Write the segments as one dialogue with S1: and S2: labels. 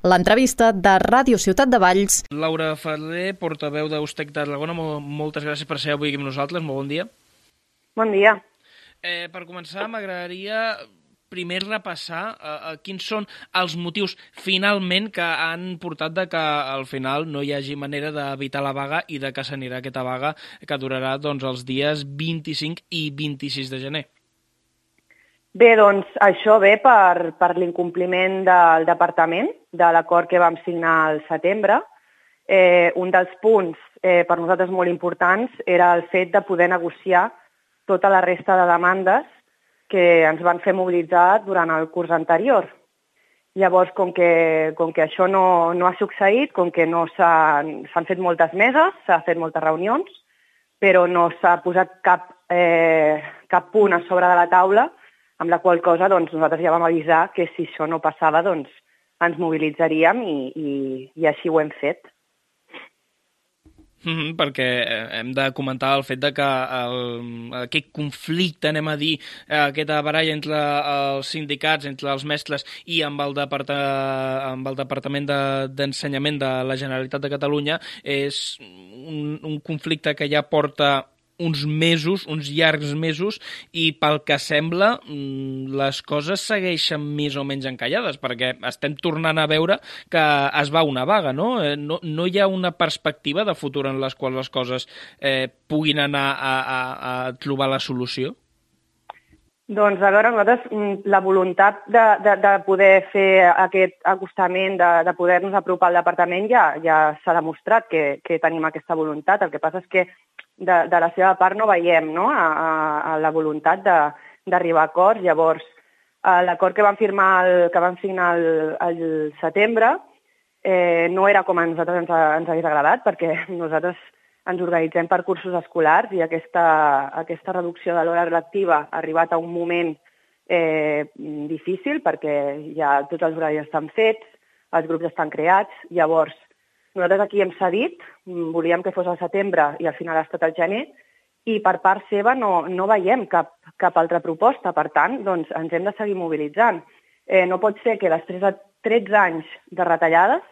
S1: L'entrevista de Ràdio Ciutat de Valls.
S2: Laura Ferrer, portaveu d'Ustec Tarragona, moltes gràcies per ser avui aquí amb nosaltres, molt bon dia.
S3: Bon dia.
S2: Per començar, m'agradaria primer repassar quins són els motius finalment que han portat de que al final no hi hagi manera d'evitar la vaga i de que s'anirà aquesta vaga que durarà els dies 25 i 26 de gener.
S3: Bé, doncs això ve per l'incompliment del departament de l'acord que vam signar al setembre. Un dels punts per nosaltres molt importants era el fet de poder negociar tota la resta de demandes que ens van fer mobilitzar durant el curs anterior. Llavors, com que això no ha succeït, com que no s'han fet moltes meses, s'han fet moltes reunions, però no s'ha posat cap punt a sobre de la taula, amb la qual cosa nosaltres ja vam avisar que si això no passava ens mobilitzaríem i així ho hem fet.
S2: Perquè hem de comentar el fet de que aquest conflicte, aquesta baralla entre els sindicats, entre els mestres i amb el Departament d'Ensenyament de la Generalitat de Catalunya és un conflicte que ja porta uns mesos, uns llargs mesos, i pel que sembla les coses segueixen més o menys encallades, perquè estem tornant a veure que es va una vaga, no? No hi ha una perspectiva de futur en les quals les coses puguin anar a trobar la solució?
S3: Doncs, a veure, nosaltres la voluntat de poder fer aquest acostament, de poder-nos apropar al departament, ja s'ha demostrat que tenim aquesta voluntat. El que passa és que de la seva part no veiem a la voluntat d'arribar a acords. Llavors, l'acord que vam signar al setembre no era com a nosaltres ens hagués agradat, perquè nosaltres ens organitzem per cursos escolars i aquesta reducció de l'hora lectiva ha arribat a un moment difícil perquè ja tots els horaris estan fets, els grups estan creats. Llavors, nosaltres aquí hem cedit, volíem que fos al setembre i al final ha estat al gener, i per part seva no veiem cap altra proposta. Per tant, ens hem de seguir mobilitzant. No pot ser que després de 13 anys de retallades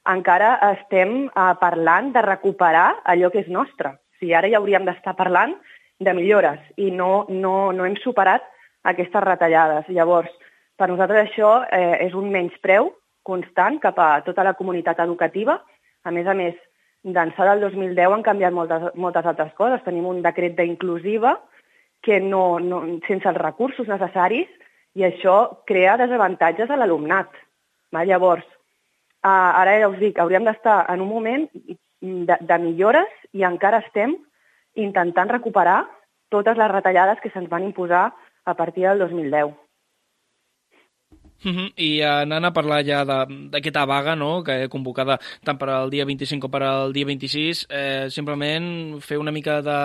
S3: encara estem parlant de recuperar allò que és nostre. O sigui, ara ja hauríem d'estar parlant de millores i no hem superat aquestes retallades. Llavors, per nosaltres això és un menyspreu constant cap a tota la comunitat educativa. A més, d'ençà del 2010 han canviat moltes altres coses. Tenim un decret d'inclusiva que sense els recursos necessaris, i això crea desavantatges a l'alumnat. Llavors, ara ja us dic, hauríem d'estar en un moment de millores i encara estem intentant recuperar totes les retallades que se'ns van imposar a partir del 2010.
S2: I anant a parlar ja d'aquesta vaga, no?, que he convocada tant per al dia 25 com per al dia 26, simplement fer una mica de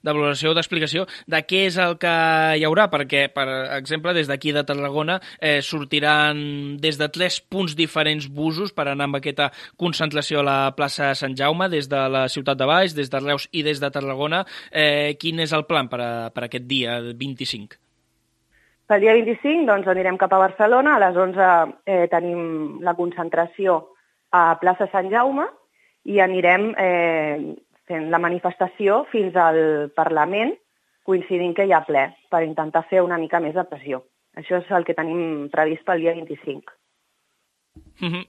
S2: valoració, d'explicació de què és el que hi haurà, perquè, per exemple, des d'aquí de Tarragona sortiran des de 3 punts diferents busos per anar amb aquesta concentració a la plaça Sant Jaume, des de la Ciutat de Valls, des de Reus i des de Tarragona. Quin és el plan per aquest dia 25?
S3: Pel dia 25 anirem cap a Barcelona, a les 11 tenim la concentració a plaça Sant Jaume i anirem fent la manifestació fins al Parlament, coincidint que hi ha ple, per intentar fer una mica més de pressió. Això és el que tenim previst pel dia 25.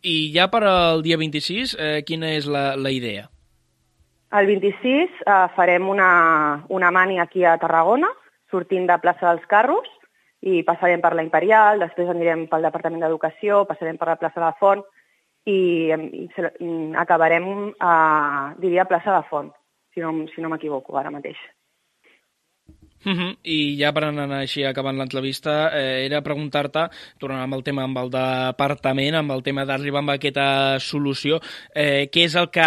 S2: I ja per al dia 26, quina és la idea?
S3: El 26 farem una mani aquí a Tarragona, sortint de plaça dels Carros, i passarem per la Imperial, després anirem pel Departament d'Educació, passarem per la plaça de la Font i acabarem diria plaça de la Font, si no m'equivoco ara mateix.
S2: I ja per anar així acabant l'entrevista, era preguntar-te, tornant amb el tema amb el departament, amb el tema d'arribar amb aquesta solució, què és el que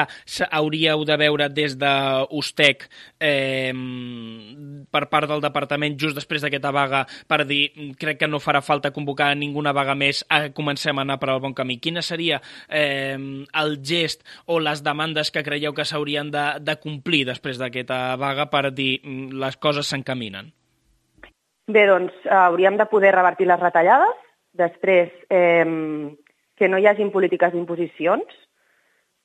S2: hauríeu de veure des d'Ustec per part del departament just després d'aquesta vaga per dir, crec que no farà falta convocar ninguna vaga més, comencem a anar per al bon camí. Quina seria el gest o les demandes que creieu que s'haurien de complir després d'aquesta vaga per dir les coses s'encaminen?
S3: Bé, hauríem de poder revertir les retallades, després que no hi hagin polítiques d'imposicions,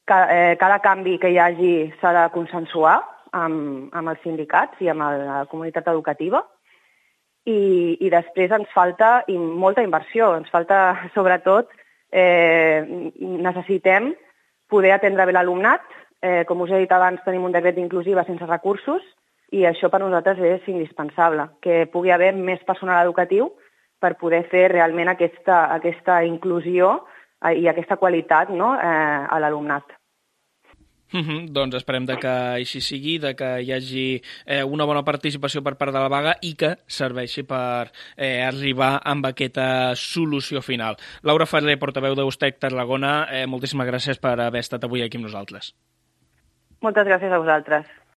S3: cada canvi que hi hagi s'ha de consensuar amb els sindicats i amb la comunitat educativa, i després ens falta molta inversió, ens falta sobretot, necessitem poder atendre bé l'alumnat, com us he dit abans tenim un decret d'inclusiva sense recursos i això per nosaltres és indispensable, que pugui haver més personal educatiu per poder fer realment aquesta inclusió i aquesta qualitat, no, a l'alumnat.
S2: Doncs esperem que així sigui, que hi hagi una bona participació per part de la vaga i que serveixi per arribar amb aquesta solució final. Laura Ferrer, portaveu d'Eustec Tarragona, moltíssimes gràcies per haver estat avui aquí amb nosaltres.
S3: Moltes gràcies a vosaltres.